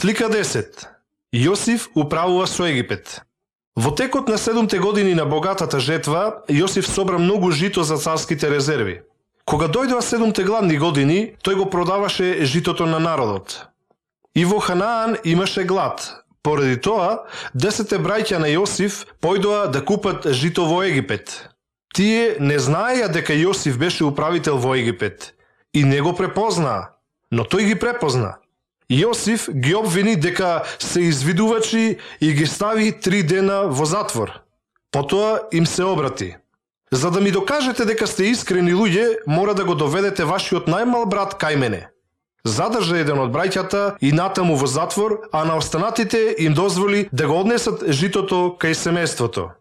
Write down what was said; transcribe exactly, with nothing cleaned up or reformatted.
Слика десет. Јосиф управува со Египет. Во текот на седумте години на богатата жетва, Јосиф собра многу жито за царските резерви. Кога дојдоа седумте гладни години, тој го продаваше житото на народот. И во Ханаан имаше глад. Поради тоа, десетте браќа на Јосиф појдоа да купат жито во Египет. Тие не знаеја дека Јосиф беше управител во Египет и не го препознаа, но тој ги препозна. Јосиф ги обвини дека се извидувачи и ги стави три дена во затвор. Потоа им се обрати. За да ми докажете дека сте искрени луѓе, мора да го доведете вашиот најмал брат кај мене. Задржа еден од браќата и натаму во затвор, а на останатите им дозволи да го однесат житото кај семејството.